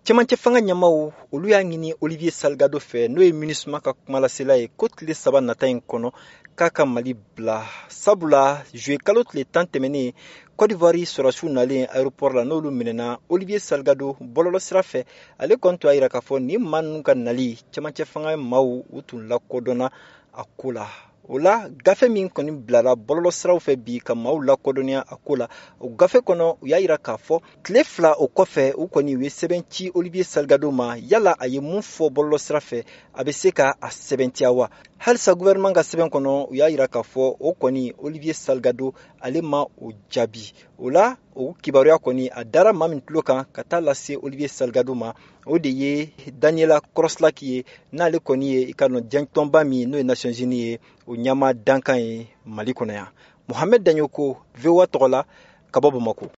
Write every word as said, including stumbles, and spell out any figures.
Cɛmancɛ fanga ɲɛmaw, olu y'a ɲini Olivier Salgado fɛ, n'o ye MINUSMA ka kumalasela ye, ko tile saba nata in kɔnɔ k'a ka Mali bila, sabula juillet kalo tile tan tɛmɛnen, Côte d'Ivoire sɔrɔdasiw nalen aéroport la, n'olu minɛna Olivier Salgado bɔlɔlɔ sira fɛ, ale kɔni tun y'a yira k'a fɔ nin maa ninnu ka nali, cɛmancɛ fanga maaw u tun lakodɔnna a ko la. O la, gafe min kɔni bilala bɔlɔlɔ siraw fɛ bi ka maaw lakodɔnniya a ko la, o gafe kɔnɔ, u y'a yira k'a fɔ tile fila o kɔfɛ, u kɔni u ye sɛbɛn ci Olivier Salgado ma. Yala a ye mun fɔ bɔlɔlɔ sira fɛ, a bɛ se ka a sɛbɛntiya wa? Halisa gouvernement ka sɛbɛn kɔnɔ, u y'a yira k'a fɔ o kɔni, Olivier Salgado ale ma o jaabi. O la, o kibaruya kɔni a dara maa min tulo kan ka taa lase Olivier Salgado ma, o de ye Daniela Kroslak ye, n'ale kɔni ye i ka dɔn diɲɛtɔnba min n'o ye Nations Unies ye, o ɲɛma dankan ye Mali kɔnɔ yan. Mohamed Dagnoko, V O A tɔgɔ la, ka bɔ Bamako.